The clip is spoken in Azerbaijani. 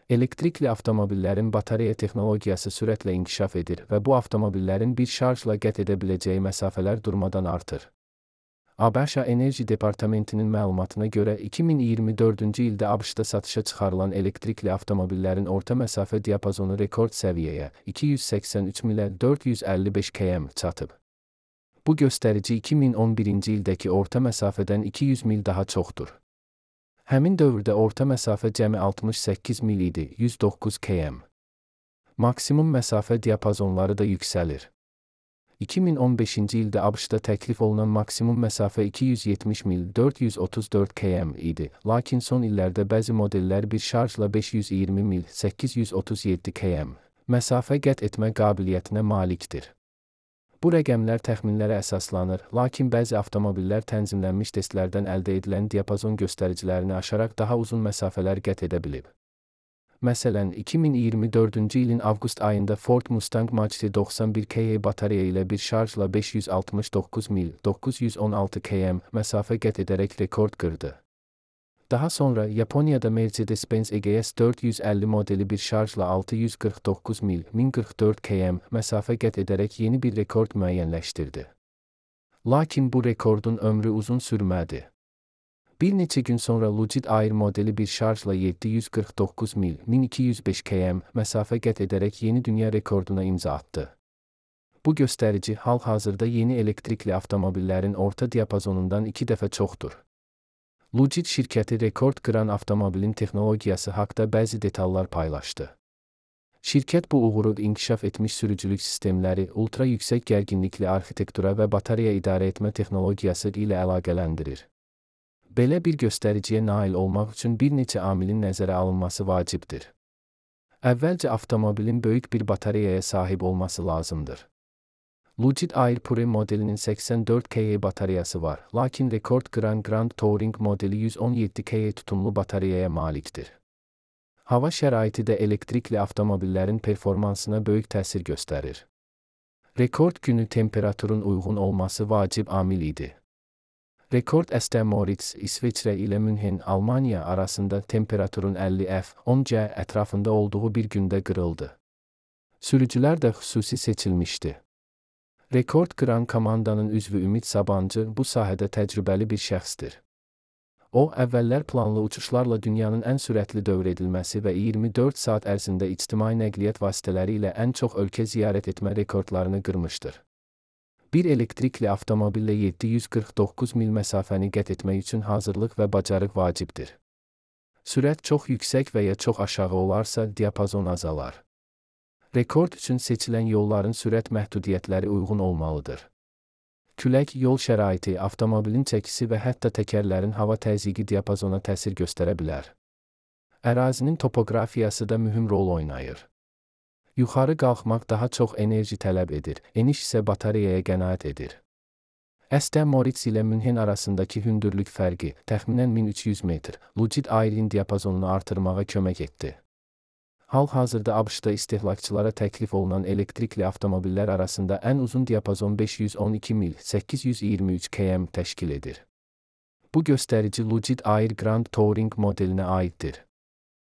Elektrikli avtomobillərin batareya texnologiyası sürətlə inkişaf edir və bu avtomobillərin bir şarjla qət edə biləcəyi məsafələr durmadan artır. ABŞ Enerji Departamentinin məlumatına görə 2024-cü ildə ABŞ-da satışa çıxarılan elektrikli avtomobillərin orta məsafə diapazonu rekord səviyyəyə 283 milə 455 km çatıb. Bu göstərici 2011-ci ildəki orta məsafədən 200 mil daha çoxdur. Həmin dövrdə orta məsafə cəmi 68 mil idi, 109 km. Maksimum məsafə diapazonları da yüksəlir. 2015-ci ildə ABŞ-da təklif olunan maksimum məsafə 270 mil 434 km idi, lakin son illərdə bəzi modellər bir şarjla 520 mil 837 km məsafə qət etmə qabiliyyətinə malikdir. Bu rəqəmlər təxminlərə əsaslanır, lakin bəzi avtomobillər tənzimlənmiş testlərdən əldə edilən diapazon göstəricilərini aşaraq daha uzun məsafələr qət edə bilib. Məsələn, 2024-cü ilin avqust ayında Ford Mustang Mach-E 91 kW batareya ilə bir şarjla 569 mil 916 km məsafə qət edərək rekord qırdı. Daha sonra Yaponiyada Mercedes-Benz EGS 450 modeli bir şarjla 649 mil 1044 km məsafə qət edərək yeni bir rekord müəyyənləşdirdi. Lakin bu rekordun ömrü uzun sürmədi. Bir neçə gün sonra Lucid Air modeli bir şarjla 749 mil 1205 km məsafə qət edərək yeni dünya rekorduna imza atdı. Bu göstərici hal-hazırda yeni elektrikli avtomobillərin orta diapazonundan 2 dəfə çoxdur. Lucid şirkəti rekord qıran avtomobilin texnologiyası haqda bəzi detallar paylaşdı. Şirkət bu uğuru inkişaf etmiş sürücülük sistemləri, ultra yüksək gərginlikli arxitektura və batareya idarə etmə texnologiyası ilə əlaqələndirir. Belə bir göstəriciyə nail olmaq üçün bir neçə amilin nəzərə alınması vacibdir. Əvvəlcə avtomobilin böyük bir batareyaya sahib olması lazımdır. Lucid Air Pure modelinin 84 kW batareyası var, lakin rekord qıran Grand Touring modeli 117 kW tutumlu batareyaya malikdir. Hava şəraiti də elektrikli avtomobillərin performansına böyük təsir göstərir. Rekord günü temperaturun uyğun olması vacib amil idi. Rekord Aston Moritz, İsveçrə ilə Münhen, Almaniya arasında temperaturun 50 F-10 C ətrafında olduğu bir gündə qırıldı. Sürücülər də xüsusi seçilmişdi. Rekord qıran komandanın üzvü Ümid Sabancı bu sahədə təcrübəli bir şəxsdir. O, əvvəllər planlı uçuşlarla dünyanın ən sürətli dövr edilməsi və 24 saat ərzində ictimai nəqliyyat vasitələri ilə ən çox ölkə ziyarət etmə rekordlarını qırmışdır. Bir elektrikli avtomobillə 749 mil məsafəni qət etmək üçün hazırlıq və bacarıq vacibdir. Sürət çox yüksək və ya çox aşağı olarsa, diapazon azalar. Rekord üçün seçilən yolların sürət məhdudiyyətləri uyğun olmalıdır. Külək, yol şəraiti, avtomobilin çəkisi və hətta təkərlərin hava təzyiqi diapazona təsir göstərə bilər. Ərazinin topoqrafiyası da mühüm rol oynayır. Yuxarı qalxmaq daha çox enerji tələb edir, eniş isə batareyaya qənaət edir. Aston Moritz ilə Münhen arasındakı hündürlük fərqi, təxminən 1300 metr, Lucid Air'in diapazonunu artırmağa kömək etdi. Hal-hazırda ABŞ-da istehlakçılara təklif olunan elektrikli avtomobillər arasında ən uzun diapazon 512 mil 823 km təşkil edir. Bu göstərici Lucid Air Grand Touring modelinə aiddir.